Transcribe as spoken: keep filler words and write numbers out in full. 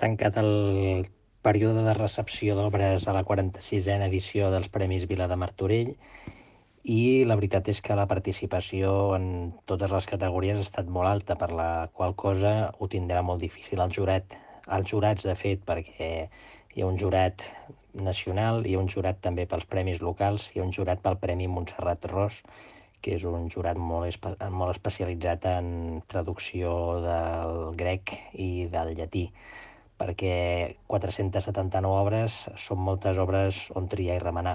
tancat el període de recepció d'obres a la quaranta-sisena edició dels Premis Vila de Martorell i la veritat és que la participació en totes les categories ha estat molt alta, per la qual cosa ho tindrà molt difícil el jurat. Els jurats, de fet, perquè hi ha un jurat nacional, hi ha un jurat també pels premis locals, hi ha un jurat pel Premi Montserrat Ros, que és un jurat molt, espe molt especialitzat en traducció del grec i del llatí, perquè quatre-centes setanta-nou obres són moltes obres on triar i remenar.